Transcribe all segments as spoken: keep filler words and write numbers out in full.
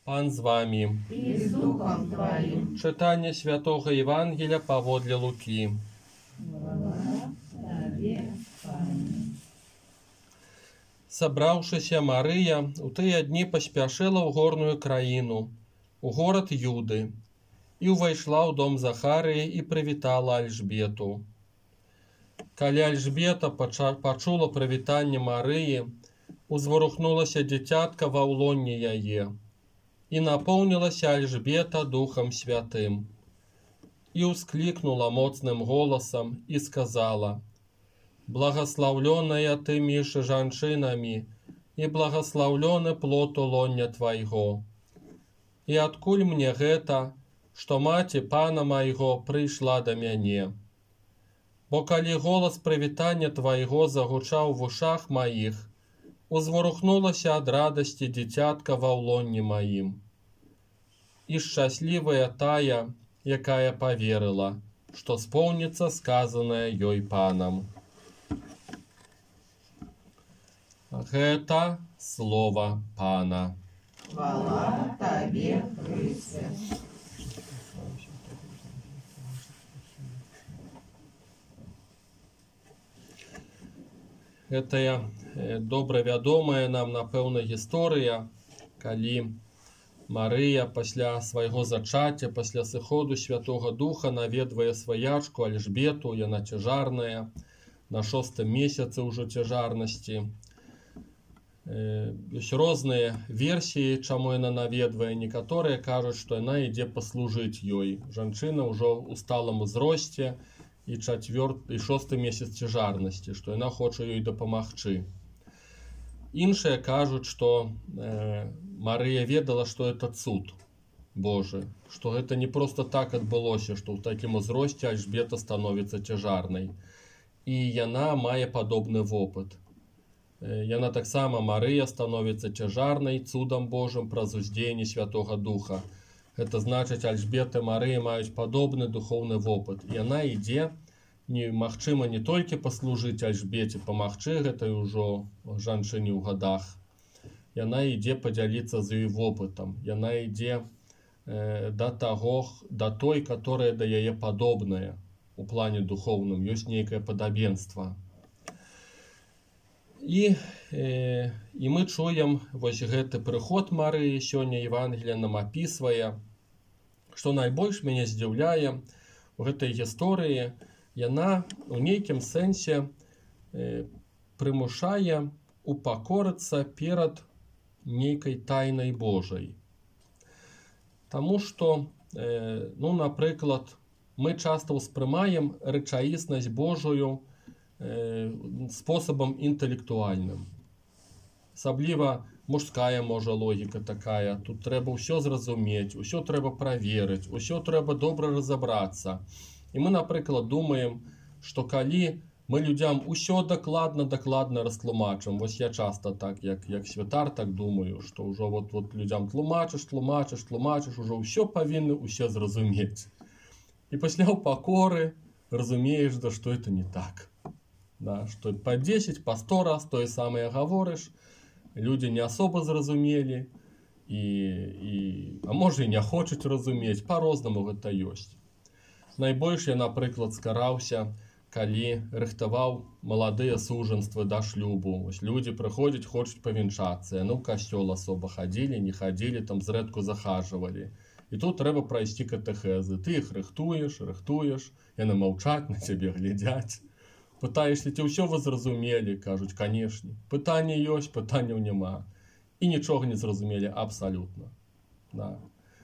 Пан з вами. И с Духом Твоим. Читання Святого Євангелія паводле Луки. Хвала Тебе, Пане. Сабраўшыся Марыя у тыя дні паспяшыла ў горную краіну, у горад Юды, і ўвайшла ў дом Захарыі і прывітала Альжбету. Калі Альжбета пачула прывітанне Марыі, узварухнулася дзіцятка ва ўлонні яе, і напоўнілася Альжбета Духом Святым. І ўсклікнула моцным голасам і сказала: «Благословленная ты між жанчынамі, і благословлены плод улоння твайго. І адкуль мне гэта, што маці пана майго прыйшла да мяне? Бо калі голас прывітання твайго загучаў в ушах маіх, узварухнулася ад радасці дзіцятка ва ўлонні маім. І шчаслівая тая, якая паверыла, што споўніцца сказанае ёй панам». Гэта слова Пана. Хвала Тебе, Христе. Гэтая добра вядомая нам, напэўна, гісторыя, калі Марыя пасля свайго зачацця, пасля сыходу Святога Духа наведвае сваячку Альжбету, яна цяжарная, на шостым месяцы ўжо цяжарнасці. Ёсць розныя версіі, чаму яна наведвае. Некаторыя кажуць, што яна ідзе паслужыць ёй. Жанчына ўжо ў сталым узросце і чацвёрты і шосты месяц цяжарнасці, што яна хоча ёй дапамагчы. Іншыя кажуць, што э, Марыя ведала, што гэта цуд Божы, што гэта не проста так адбылося, што ў такім узросце Альжбета становіцца цяжарнай. І яна мае падобны вопыт. Яна таксама, Марыя, становіцца цяжарнай цудам Божым праз уздзеянне Святога Духа. Гэта значыць, Альжбета і Марыя маюць падобны духоўны вопыт. Яна ідзе, не, магчыма, не толькі паслужыць Альжбеце, памагчы гэтай ужо жанчыне ў гадах. Яна ідзе падзяліцца з ёй вопытам. Яна ідзе э, да таго, да той, которая да яе падобная у плане духоўным. Ёсць нейкае падабенства. І, э, і мы чуем вось гэты прыход Марыі, сёння Евангелие нам апісвае, што найбольш мяне здзіўляе у гэтай гісторыі, яна у нейкім сэнсе э, прымушае упакорыцца перад нейкай тайнай Божай. Таму што, э, ну, напрыклад, мы часта ўспрымаем рэчаіснасць Божую способам інтэлектуальным. Асабліва мужская, можа, логіка такая. Тут трэба ўсё зразумець, усё трэба праверыць, усё трэба добра разабрацца. І мы, напрыклад, думаем, што калі мы людзям усё дакладна-дакладна растлумачым, вось я часта так, як, як святар, так думаю, што ўжо вот, вот людзям тлумачыш, тлумачыш, тлумачыш, ужо ўсё павінны ўсе зразумець. І пасля ў пакоры разумееш, да што это не так. Да, што па дзесяць, па сто раз тое самае гаворыш, людзі не асоба зразумелі, і, і, а можа і не хочуць разумець, па-рознаму гэта ёсць. Найбольш я, напрыклад, скараўся, калі рыхтаваў маладыя сужанствы да шлюбу. Ось людзі прыходзяць, хочуць павянчацца, яны ў касцёл асоба хадзілі, не хадзілі, там зрэдку захажвалі. І тут трэба прайсці катэхезы. Ты іх рыхтуеш, рыхтуеш, яны маўчаць, на цябе глядзяць. Пытаешся, ці ўсё вы зразумелі? Кажуць, канешне. Пытанне ёсць, пытанняў няма. І нічога не зразумелі абсалютна. Да.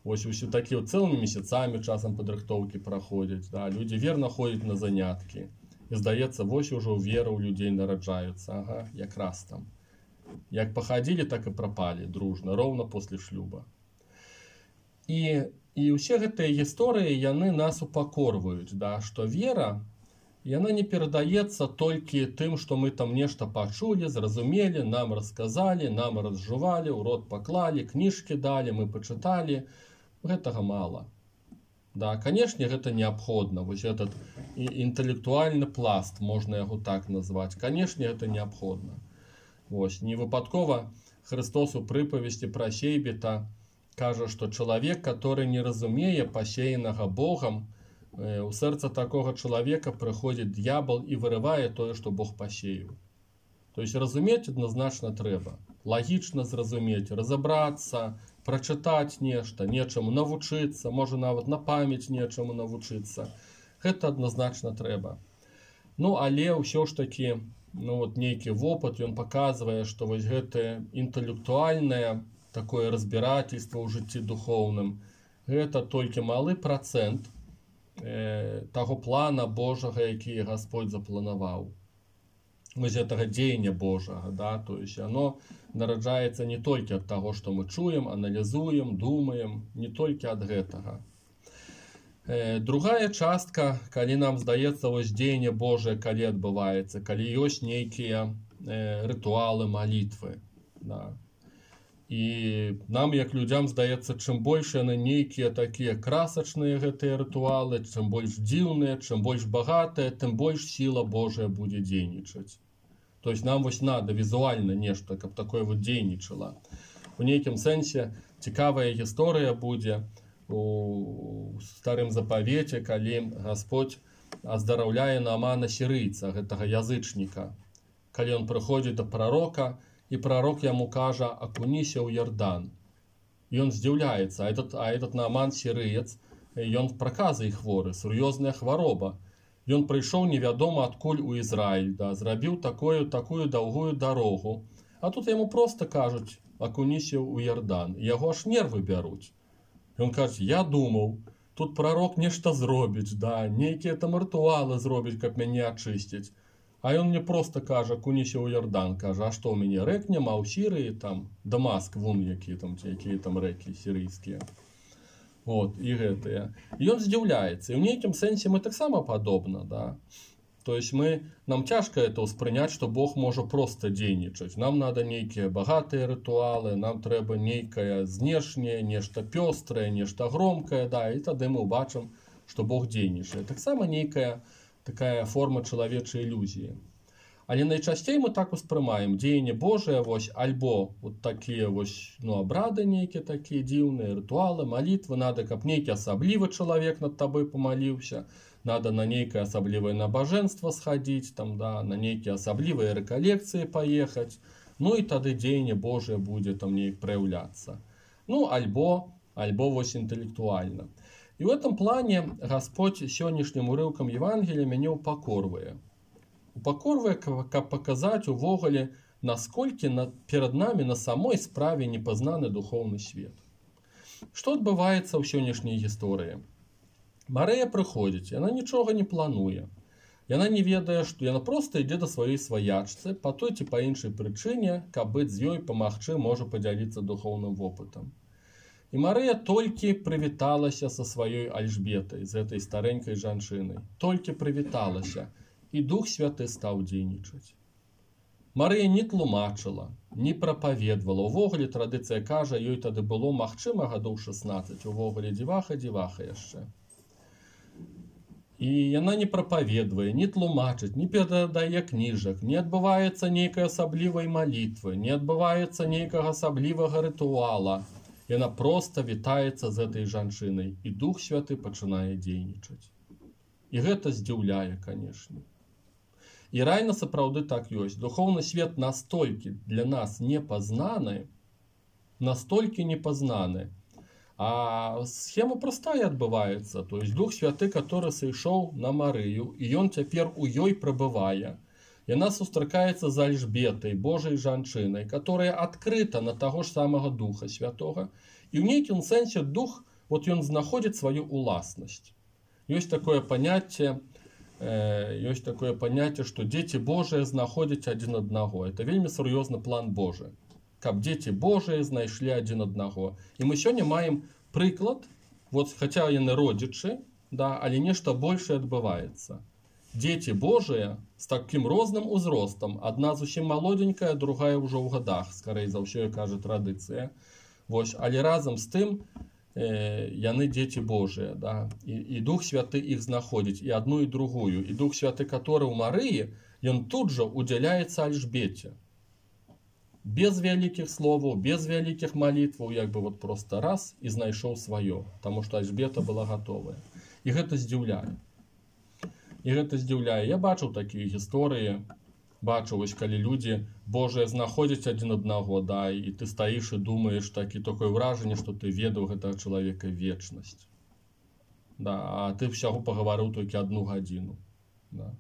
Вось усе такія цэлымі месяцамі часам падрыхтоўкі праходзяць. Да. Людзі верна ходзяць на заняткі. І здаецца, вось ужо вера ў людзей нараджаецца. Ага, якраз там. Як пахадзілі, так і прапалі дружна, роўна после шлюба. І, і ўсе гэтыя гісторыі, яны нас упакорваюць, да, што вера, яна не перадаецца толькі тым, што мы там нешта пачулі, зразумелі, нам расказалі, нам разжувалі, у рот паклалі, кніжкі далі, мы пачыталі. Гэтага мала. Да, канешне, гэта неабходна. Вось этот інтэлектуальны пласт, можна яго так назваць. Канешне, гэта неабходна. Вось, не выпадкова Христос у прыпавесці пра Сейбіта кажа, што чалавек, который не разумее пасеянага Богам, у сэрца такога чалавека прыходзіць д'ябал і вырывае тое, што Бог пасеяў. То есть разумець адназначна трэба, лагічна зразумець, разабрацца, прачытаць нешта, нечаму навучыцца, можа нават на памяць нечаму навучыцца. Гэта адназначна трэба. Ну, але ўсё ж такі, ну, вот нейкі вопыт, ён паказвае, што вось гэтае інтэлектуальнае такое разбірательство ў жыцці духоўным, гэта толькі малы працэнт э, таго плана Божага, які Гасподзь запланаваў. Вось гэтага дзеяння Божага, да, то есть оно нараджаецца не толькі ад таго, што мы чуем, аналізуем, думаем, не толькі ад гэтага. Э, другая частка, калі нам здаецца, вось дзеянне Божае, калі адбываецца, калі ёсць нейкія э, рытуалы, малітвы, да. І нам, як людзям, здаецца, чым больш яны нейкія такія красачныя гэтыя рытуалы, чым больш дзіўныя, чым больш багатыя, тым больш сіла Божая будзе дзейнічаць. То есть нам вось надо візуальна нешта, каб такое вот дзейнічала. У нейкім сэнсе цікавая гісторыя будзе у старым запавеце, калі Гасподь аздараўляе Наамана сірыйца, гэтага язычніка. Калі ён прыходзіць да прарока, і пророк яму кажа: акуніся ў Ярдан. І ён здзіўляецца, а этот, а этот Нааман сірыец, ён праказай хворы, сур'ёзная хвароба. Ён прыйшоў невядома адкуль у Ізраіль, да, зрабіў такую, такую даўгую дарогу. А тут яму проста кажуць: акуніся ў Ярдан. І яго аж нервы бяруць. Ён кажа: я думаў, тут пророк нешта зробіць, да, нейкія там рытуалы зробіць, каб мяне ачысціць. А ён мне просто кажа: акуніся ў Ярдан. Кажа: а што ў мяне рэк няма ў Сірыі, там Дамаск, вон якія там, якія там рэкі сірыйскія. Вот, і гэтыя. І ён здзіўляецца. І ў нейкім сэнсе мы таксама падобна, да. То есть мы, нам цяжка это ўспрыняць, што Бог можа проста дзейнічаць. Нам надо нейкія багатыя рытуалы, нам трэба нейкае знешняе, нешта пёстрае, нешта громкае, да, і тады мы ўбачым, што Бог дзейнічае. Таксама нейкая такая форма чалавечай ілюзіі. Але найчасцей мы так успрымаем дзеянне Божае, вось, альбо вот такія вось, ну, абрады нейкія такія дзіўныя, рытуалы, малітвы, надо, каб нейкі асаблівы чалавек над табой памаліўся, надо на нейкае асаблівае набажэнства схадзіць, там, да, на нейкія асаблівыя рэкалекцыі паехаць, ну і тады дзеянне Божае будзе там неяк праяўляцца. Ну, альбо, альбо вось інтэлектуальна. І в этом плане Гасподь сённяшнім урыўкам Евангелія мяне упакорвае. Упакорвае, каб паказаць увогуле, насколькі на, перад намі на самой справе непазнаны духоўны свет. Што адбываецца ў сённяшняй гісторыі? Марыя прыходзіць, яна нічога не плануе. Яна не ведае, што яна проста ідзе да сваёй сваячцы, па той ці па іншай прычыне, каб быць з ёй, памагчы, можа падзяліцца духоўным вопытам. І Марыя толькі прывіталася са сваёй Альжбетай, з гэтай старэнькай жанчынай. Толькі прывіталася. І Дух Святы стаў дзейнічаць. Марыя не тлумачыла, не прапаведвала. Увогуле традыцыя кажа, ёй тады было, магчыма, гадоў шаснаццаць. Увогуле дзіваха-дзіваха яшчэ. І яна не прапаведвае, не тлумачыць, не перадае кніжак, не адбываецца нейкай асаблівай малітвы, не адбываецца нейкага асаблівага рытуала. Яна проста вітаецца з гэтай жанчынай, і Дух Святы пачынае дзейнічаць. І гэта здзіўляе, канешне. І рэальна сапраўды так ёсць. Духоўны свет настолькі для нас непазнаны, настолькі непазнаны. А схема простая адбываецца. То есть Дух Святы, который сышоў на Марыю, і ён цяпер у ёй прабывае. Яна сустракаецца з Альжбетай, Божай жанчынай, которая адкрыта на таго ж самага Духа Святога. І ў нейкім сэнсе Дух, вот ён знаходзіць сваю уласнасць. Ёсць такое паняцце, э, ёсць такое паняцце, што дзеці Божыя знаходзяць адзін аднаго. Это вельмі сур'ёзны план Божы. Каб дзеці Божыя знайшлі адзін аднаго. І мы сёння маем прыклад, вот, хаця яны родзічы, да, але нешта большае адбываецца. Дзеці Божыя з такім розным узростам, адна зусім малодзенькая, другая ўжо ў гадах, скарэй за ўсё, кажа традыцыя. Вось, але разам з тым, э, яны дзеці Божыя, да? І, і Дух Святы іх знаходзіць, і адну, і другую. І Дух Святы, который ў Марыі, ён тут жа удзяляецца Альжбеце. без вялікіх словаў, без вялікіх малітваў, як бы вот просто раз і знайшоў сваё, таму што Альжбета была гатовая. І гэта здзіўляе. І гэта здзіўляе. Я бачыў такія гісторыі, бачыў, вось калі людзі Божыя знаходзяць адзін аднаго, да, і ты стаіш і думаеш, такі такое ўражанне, што ты ведаў гэтага чалавека вечнасць. Да, а ты ўсяго пагаварыў толькі адну гадзіну. Да.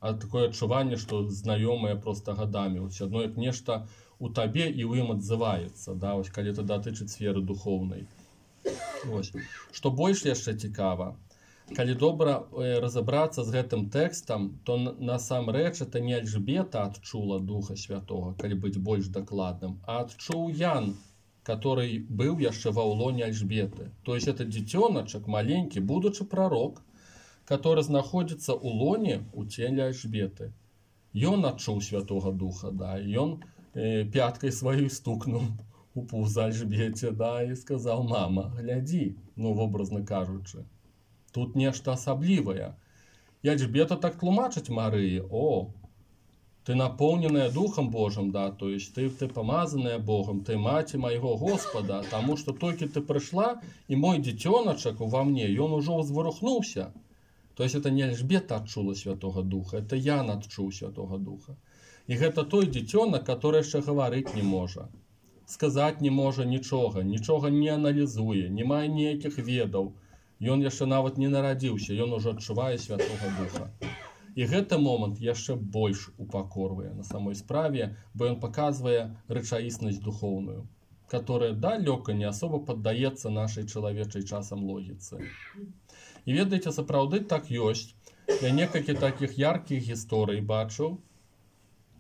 А такое адчуванне, што знаёмыя проста гадамі. Вось адно як нешта у табе і ў ім адзываецца, да, вось калі это датычыць сферы духоўнай. Вось. Што больш яшчэ цікава, калі добра э, разабрацца з гэтым тэкстам, то насамрэч это не Альжбета адчула Духа Святога, калі быць больш дакладным, а адчуў Ян, который быў яшчэ ва ўлоне Альжбеты. То есть это дзіцёначак, маленькі, будучы прарок, который знаходзіцца ў лоне у целе Альжбеты. Ён адчуў Святога Духа, да, ён э, пяткай сваёй стукнуў у пузо Альжбете, да, і сказаў: мама, глядзі, ну, вобразна кажучы, тут нешта асаблівае. І Альжбета так тлумачыць Марыі: о, ты напоўненая Духом Божым, да, то есть ты, ты помазаная Богом, ты маці майго Господа, таму што толькі ты прыйшла, і мой дзіцёначак ува мне, ён ужо ўзварухнуўся. То есть это не Альжбета адчула Святого Духа, это Ян адчуў Святого Духа. І гэта той дзіцёнак, который яшчэ гаварыць не можа, сказаць не можа нічога, нічога не аналізуе, не мае ніякіх ведаў. Ён яшчэ нават не нарадзіўся, ён ужо адчувае Святого Духа. І гэты момант яшчэ больш упакорвае на самой справе, бо ён паказвае рэчаіснасць духоўную, которая далёка не асоба паддаецца нашай чалавечай часам логіцы. І ведаеце, сапраўды так ёсць. Я некалькі такіх яркіх гісторый бачыў,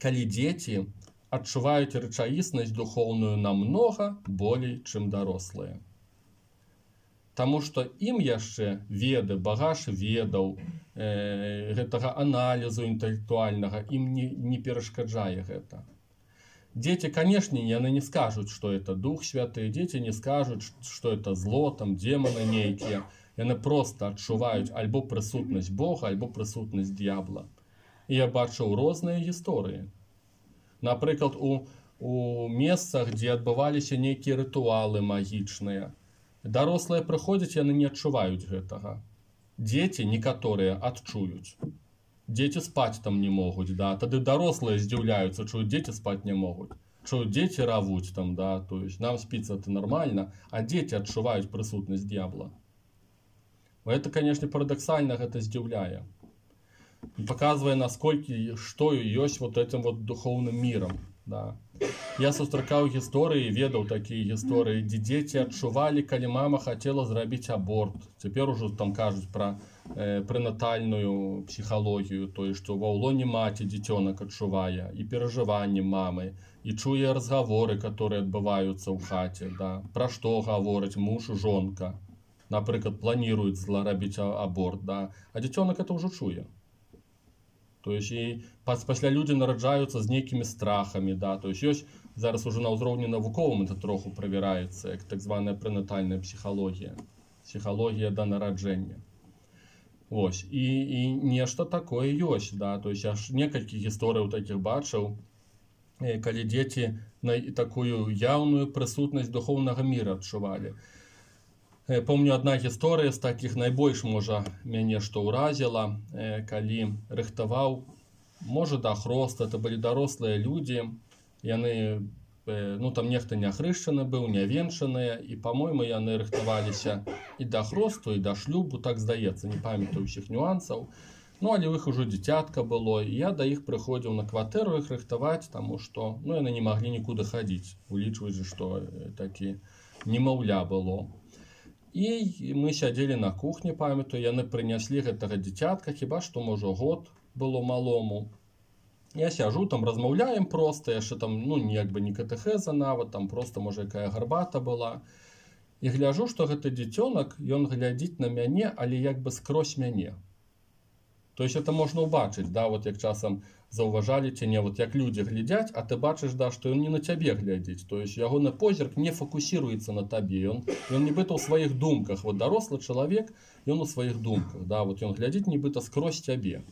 калі дзеці адчуваюць рэчаіснасць духоўную намнога болей, чым дарослыя. Таму што ім яшчэ веды, багаж ведаў, э, гэтага аналізу інтэлектуальнага, ім не, не перашкаджае гэта. Дзеці, канешне, яны не скажуць, што это Дух Святы, дзеці не скажуць, што это зло, там, демоны нейкія. Яны проста адчуваюць альбо прысутнасць Бога, альбо прысутнасць д'ябла. І я бачыў розныя гісторыі. Напрыклад, у, у месцах, дзе адбываліся нейкія рытуалы магічныя, дарослыя прыходзяць, яны не адчуваюць гэтага. Дзеці некаторыя адчуюць. Дзеці спаць там не могуць, да, тады дарослыя здзіўляюцца, чуюць, дзеці спаць не могуць. Чуюць, дзеці равуць там, да, то есть нам спіцца это нормально, а дзеці адчуваюць прысутнасць д'ябла. Это, конечно, парадоксально, гэта здзіўляе. Показывае, насколькі, што ёсць вот этим вот духоўным мірам. Да. Я сустракаў гісторыі, ведаў такія гісторыі, дзе дзеці адчувалі, калі мама хацела зрабіць аборт. Цяпер ужо там кажуць пра э, прэнатальную псіхалогію, то есть, што ва ўлоне маці дзіцёнак адчувае і перажыванні мамы, і чуе разгаворы, которые адбываюцца ў хаце, да. Пра што гаворыць муж, жонка. Напрыклад, планирует зларабіць аборт, да, а дзіцёнак это ўжо чуе. То есть і пасля людзі нараджаюцца з нейкімі страхамі, да, то есть ёсць зараз уже на ўзроўні навуковым это троху правяраецца, як так званая прэнатальная псіхалогія, псіхалогія да нараджэння. Вось, і, і нешта такое ёсць, да, то есть я ж некалькі гісторыяў такіх бачыў, калі дзеці на такую яўную прысутнасць духоўнага міра адчувалі. Помню, одна гісторыя з такіх найбольш, можа, мяне што ўразіла, калі рыхтаваў, можа, да хрост, это былі дарослыя людзі, яны, ну, там нехта не хрышчаны быў, не венчаныя, і, па-мойму, яны рыхтаваліся і да хросту, і да шлюбу, так здаецца, не памятаю ўсіх нюансаў. Ну, але ў іх ужо дзіцятка было, і я да іх прыходзіў на кватэру іх рыхтаваць, таму што, ну, яны не маглі нікуды хадзіць, улічваць, што такі немаўля было. І мы сядзелі на кухні, памятаю, яны прыняслі гэтага дзіцятка, хіба што, можа, год было малому. Я сяжу, там размаўляем проста, яшчэ там, ну, як бы не катэхеза нават, там проста, можа, якая гарбата была. І гляжу, што гэты дзіцёнак, ён глядзіць на мяне, але як бы скрозь мяне. То есть это можна ўбачыць, да, вот як часам заўважалі ці не, вот як людзі глядзяць, а ты бачыш, да, што ён не на цябе глядзіць, то есть ягоны позірк не фокусируецца на табе, ён, ён нібыта ў сваіх думках, вот дарослы чалавек, ён у сваіх думках, да, вот ён глядзіць нібыта скрозь цябе.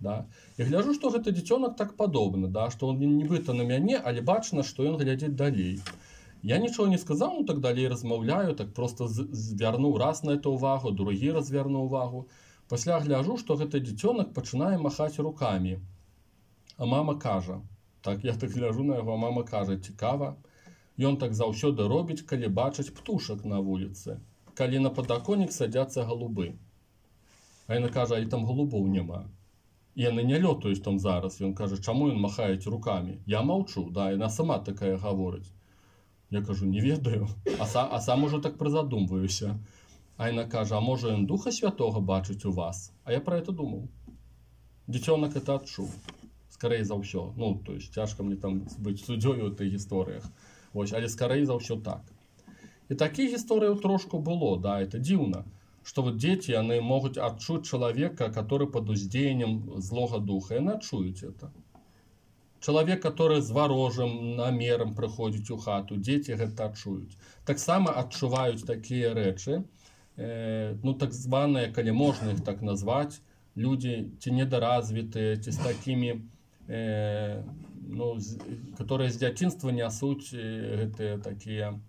Да? І гляджу, што гэты дзіцёнак так падобны, да? Што он нібыта на мяне, але бачна, што ён глядзіць далей. Я нічого не сказаў, ну так далей размаўляю, так просто звярнуў раз на это увагу, другі раз звярнуў увагу. Пасля гляджу, што гэты дзіцёнак пачынае махаць рукамі. А мама кажа, так я так гляжу на яго, а мама кажа, цікава. Ён так заўсёды робіць, калі бачыць птушак на вуліцы, калі на падаконнік садзяцца галубы. А яна кажа, а там голубоў няма. І яны не лётаюць там зараз. Ён кажа, чаму ён махаець рукамі? Я маўчу, да, яна сама такая гаворыць. Я кажу, не ведаю, а, са, а сам уже так призадумваюся. А яна кажа, а можа ён Духа Святого бачыць у вас? А я про это думаў. Дзіцёнак это адчуў. Скорей за ўсё. Ну, то есть, цяжка мне там быць суддзёю ў тых гісторыях. Вось, але скорей за ўсё так. І такіх гісторыяў трошку было, да, это дзіўна. Что вот дети, они могут отчуть человека, который под уздеянием злого духа. И они отчуют это. Человек, который с ворожим намером приходит у хату, дети это отчуют. Так само отчувают такие речи, э, ну так званые, коли можно их так назвать, люди, те недоразвитые, те с такими, э, ну, которые с детства несут э, это, такие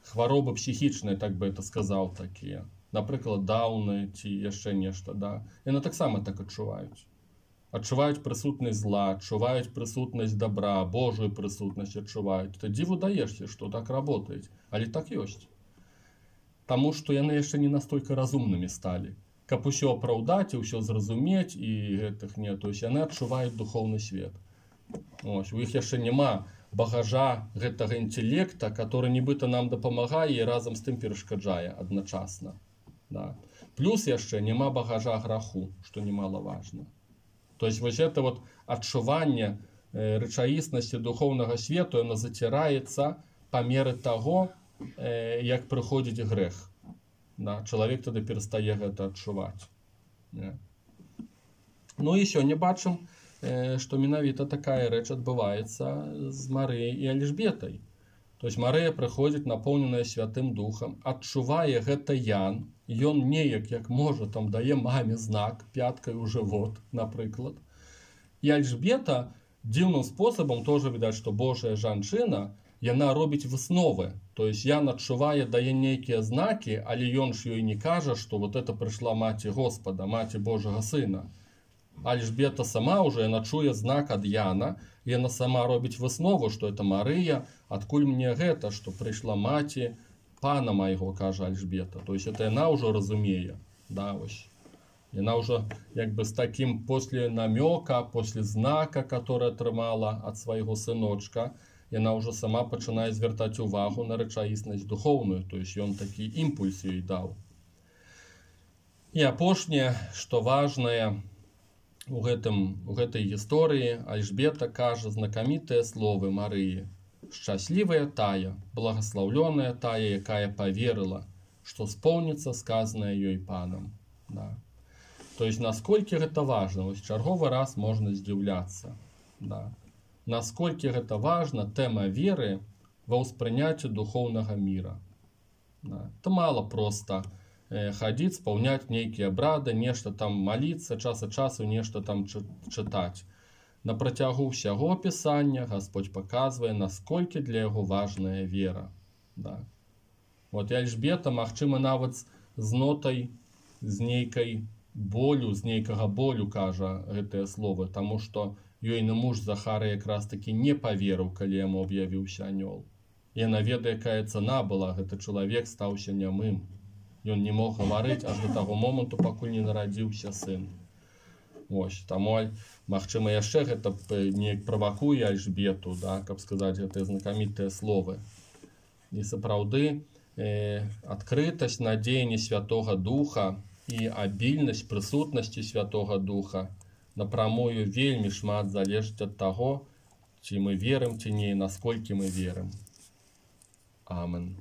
хворобы психичные, так бы это сказал, такие. Наприклад, дауны ці яшчэ нешта, да. Яны таксама так адчуваюць. Адчуваюць прысутнасць зла, адчуваюць прысутнасць добра, Божую прысутнасць адчуваюць. Ты дзіву даешся, што так работаюць, але так ёсць. Таму што яны яшчэ не настолькі разумнымі сталі. Каб усё апраўдаць і ўсё зразумець і гэтых не, то есть яны адчуваюць духоўны свет. Ось, у іх яшчэ няма багажа гэтага інтелекта, который нібыта нам дапамагае і разам з тым перашкаджае адначасна. Да. Плюс яшчэ няма багажа граху, што немалаважна. То есть вось это вот адчуванне э, рэчаіснасці духоўнага свету, яно заціраецца па меры таго, э, як прыходзіць грэх. Да. Чалавек тады перастае гэта адчуваць. Yeah. Ну і сёння бачым, э, што менавіта такая рэч адбываецца з Марыяй і Эльжбетай. То есть Марыя прыходзіць напоўненая Святым Духам, адчувае гэта Ян, ён неяк, як можа, там дае маме знак пяткай у жывот, напрыклад. І Эльжбета дзіўным спосабам тоже відаць, што Божая жанчына, яна робіць высновы. То есть Ян адчувае, дае нейкія знакі, але ён ж ёй не кажа, што вот это прыйшла маці Господа, маці Божага Сына. Эльжбета сама уже яна чуе знак ад Яна, і яна сама робіць выснову, што это Марыя, адкуль мне гэта, што прыйшла маці пана майго, кажа Эльжбета. То есть это яна ўжо разумее. Да, ось. Яна ўжо як бы з таким после намёка, после знака, который атрымала ад свайго сыночка, яна ўжо сама пачынае звяртаць увагу на рэчаіснасць духоўную. То есть ён такі імпульс ёй даў. І апошняе, што важнае, У, гэтым, у гэтай гісторыі Эльжбета кажа знакамітыя словы Марыі. Шчаслівая тая, благаслаўлёная тая, якая поверыла, што споўніцца сказанае ёй панам. Да. То есть, насколькі гэта важна, вось чарговы раз можна здзіўляцца. Да. Насколькі гэта важна, тэма веры ва ўспрыняцці духоўнага міра. Да. Это мало просто ходить, исполнять некие обряды, нечто там молиться, час от часу нечто там читать. На протягу всего Писания Господь показывает, насколько для его важная вера. Да. Вот и Эльжбета, магчыма, нават з нотай, з нейкай болю, з нейкага болю, кажа гэтае слово, тому что ёйны муж Захары якраз таки не поверыў, калі яму аб'явіўся анёл. Яна ведае, якая цана была, гэты чалавек стаўся нямым. Ён не мог гаварыць аж до таго моманту, пакуль не нарадзіўся сын. Ось, таму, магчыма, яшчэ гэта неяк правакуе Эльжбету, да, каб сказаць гэтыя знакамітыя словы. І сапраўды, э, адкрытасць на дзеянні Святога Духа і абільнасць прысутнасці Святога Духа напрамую вельмі шмат залежыць ад таго, ці мы верым, ці не, насколькі мы верым. Амен.